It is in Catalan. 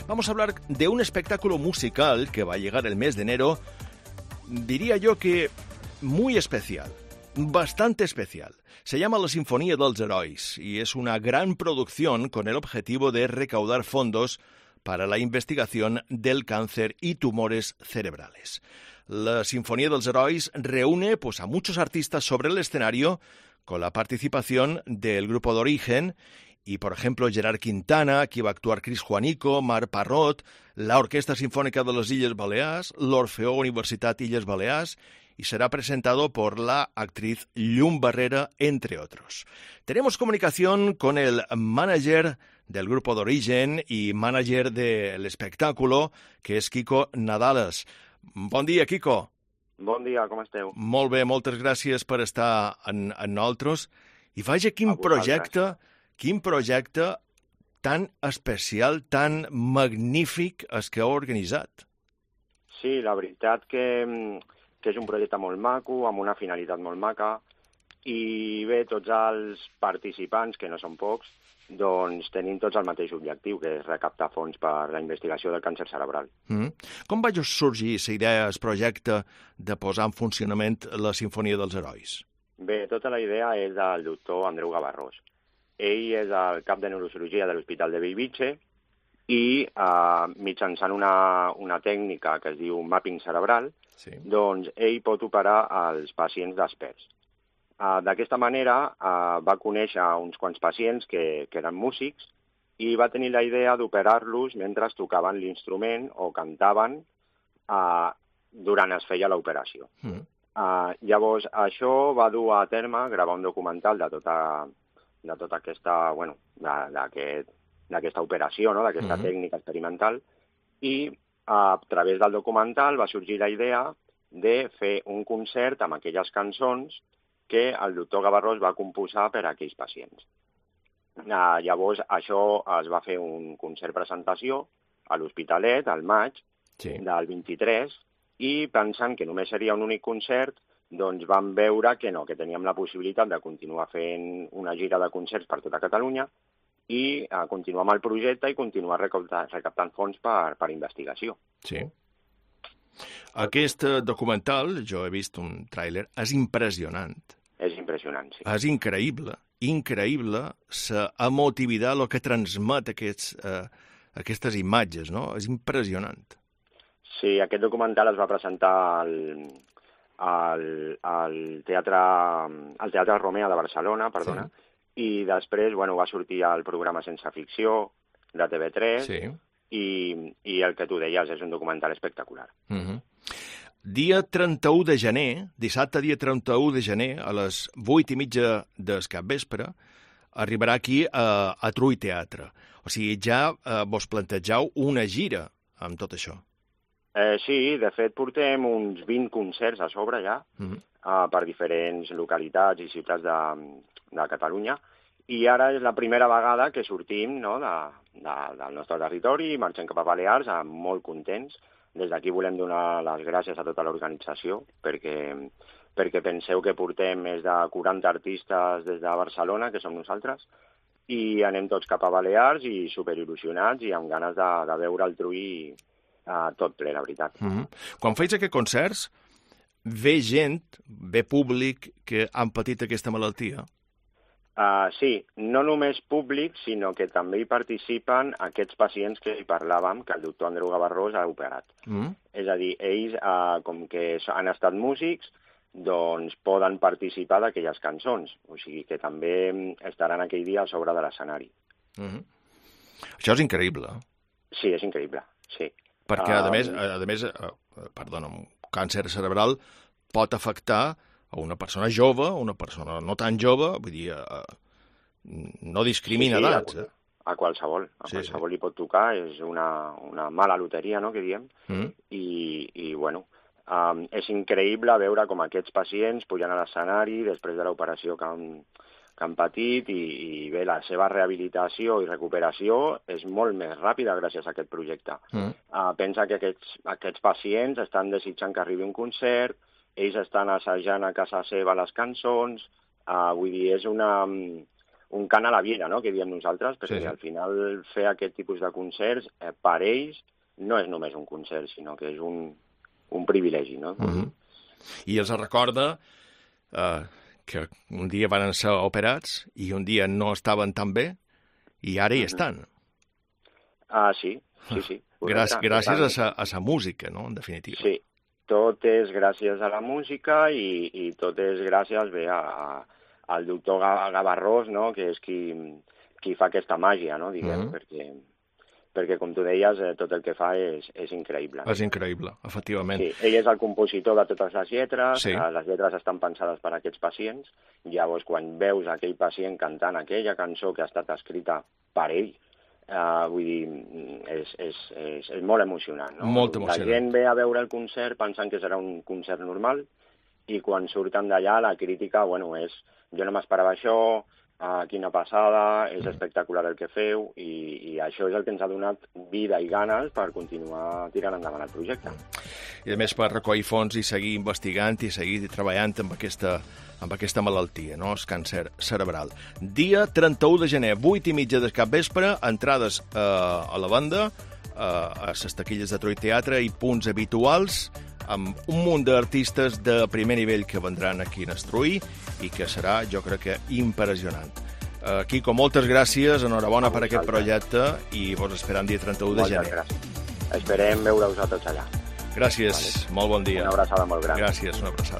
Vamos a hablar de un espectáculo musical que va a llegar el mes de enero, diría yo que muy especial, bastante especial. Se llama La Sinfonía dels Herois y es una gran producción con el objetivo de recaudar fondos para la investigación del cáncer y tumores cerebrales. La Sinfonía dels Herois reúne a muchos artistas sobre el escenario con la participación del grupo de Origen y, por ejemplo, Gerard Quintana, aquí va a actuar Chris Juanico, Marc Parrot, la Orquesta Sinfónica de les Illes Balears, l'Orfeó Universitat Illes Balears, y será presentado por la actriz Llum Barrera, entre otros. Tenemos comunicación con el manager del grupo de Origen y manager del espectáculo, que és Quico Nadales. Bon dia, Quico. Bon dia, com esteu? Molt bé, moltes gràcies per estar amb nosaltres. I vaja, quin projecte tan especial, tan magnífic és que heu organitzat. Sí, la veritat que és un projecte molt maco, amb una finalitat molt maca, i bé, tots els participants, que no són pocs, doncs tenim tots el mateix objectiu, que és recaptar fons per la investigació del càncer cerebral. Com va sorgir la idea, el projecte, de posar en funcionament la Sinfonia dels Herois? Bé, tota la idea és del doctor Andreu Gavarrós. Ell és el cap de neurocirurgia de l'Hospital de Bellvitge i mitjançant una tècnica que es diu mapping cerebral, doncs ell pot operar els pacients desperts. D'aquesta manera va conèixer uns quants pacients que eren músics i va tenir la idea d'operar-los mentre tocaven l'instrument o cantaven durant es feia l'operació. Llavors, això va dur a terme gravar un documental de tota aquesta, d'aquesta operació, no? D'aquesta tècnica experimental, i a través del documental va sorgir la idea de fer un concert amb aquelles cançons que el doctor Gavarrós va composar per a aquells pacients. Llavors, això es va fer un concert-presentació a l'Hospitalet, al maig del 23, i pensant que només seria un únic concert, doncs vam veure que no, que teníem la possibilitat de continuar fent una gira de concerts per tota Catalunya i continuar amb el projecte i continuar recaptant fons per investigació. Sí. Aquest documental, jo he vist un tràiler, és impressionant. És impressionant, sí. És increïble la emotivitat que transmet aquestes imatges, no? És impressionant. Sí, aquest documental es va presentar al Teatre Romea de Barcelona, perdona, i després va sortir al programa Sense Ficció de TV3, i el que tu deies és un documental espectacular. Dia 31 de gener, dissabte dia 31 de gener, a les 8:30 del capvespre, arribarà aquí a Trull Teatre. O sigui, ja vos plantegeu una gira amb tot això. Sí, de fet portem uns 20 concerts a sobre ja, per diferents localitats i ciutats de Catalunya, i ara és la primera vegada que sortim del nostre territori i marxem cap a Balears, molt contents. Des d'aquí volem donar les gràcies a tota l'organització, perquè penseu que portem més de 40 artistes des de Barcelona, que som nosaltres, i anem tots cap a Balears i superil·lusionats i amb ganes de veure el Trull tot ple, la veritat. Quan feis aquests concerts, ve gent, ve públic que han patit aquesta malaltia? Sí, no només públic, sinó que també hi participen aquests pacients que hi parlàvem, que el doctor Andreu Gavarrós ha operat. És a dir, ells, com que han estat músics, doncs poden participar d'aquelles cançons. O sigui que també estaran aquell dia a sobre de l'escenari. Això és increïble. Sí, és increïble, sí. Perquè, a més, un càncer cerebral pot afectar a una persona jove, a una persona no tan jove, vull dir, no discrimina edats. A qualsevol li pot tocar, és una mala loteria, no?, que diem, i bueno, és increïble veure com aquests pacients pujan a l'escenari després de l'operació que han patit i bé, la seva rehabilitació i recuperació és molt més ràpida gràcies a aquest projecte. Pensa que aquests pacients estan desitjant que arribi un concert, ells estan assajant a casa seva les cançons, vull dir, és un cant a la vida, no?, que diem nosaltres, perquè al final fer aquest tipus de concerts, per ells, no és només un concert, sinó que és un privilegi, no? I els recorda que un dia van ser operats i un dia no estaven tan bé i ara hi estan. Sí. Gràcies a la música, no?, en definitiva. Sí, tot és gràcies a la música i tot és gràcies al doctor Gavarrós, no?, que és qui fa aquesta màgia, no?, diguem, perquè com tu deies, tot el que fa és increïble. És increïble, efectivament. Sí, ell és el compositor de totes les lletres, les lletres estan pensades per a aquests pacients, llavors quan veus aquell pacient cantant aquella cançó que ha estat escrita per ell, vull dir, és molt emocionant, no? Molt emocionant. La gent ve a veure el concert pensant que serà un concert normal i quan surten d'allà la crítica, bueno, és jo no m'esperava això, quina passada, és espectacular el que feu i això és el que ens ha donat vida i ganes per continuar tirant endavant el projecte. I a més per recollir fons i seguir investigant i seguir treballant amb aquesta malaltia, no?, el càncer cerebral. Dia 31 de gener, 8:30 del capvespre, entrades a la banda, a les taquilles de Troi Teatre i punts habituals, amb un munt d'artistes de primer nivell que vendran aquí en Estruí i que serà, jo crec que, impressionant. Quico, moltes gràcies, enhorabona per aquest projecte i vos esperam dia 31 de gener. Moltes gràcies. Esperem veure-us a tots allà. Gràcies, molt bon dia. Una abraçada molt gran. Gràcies, una abraçada.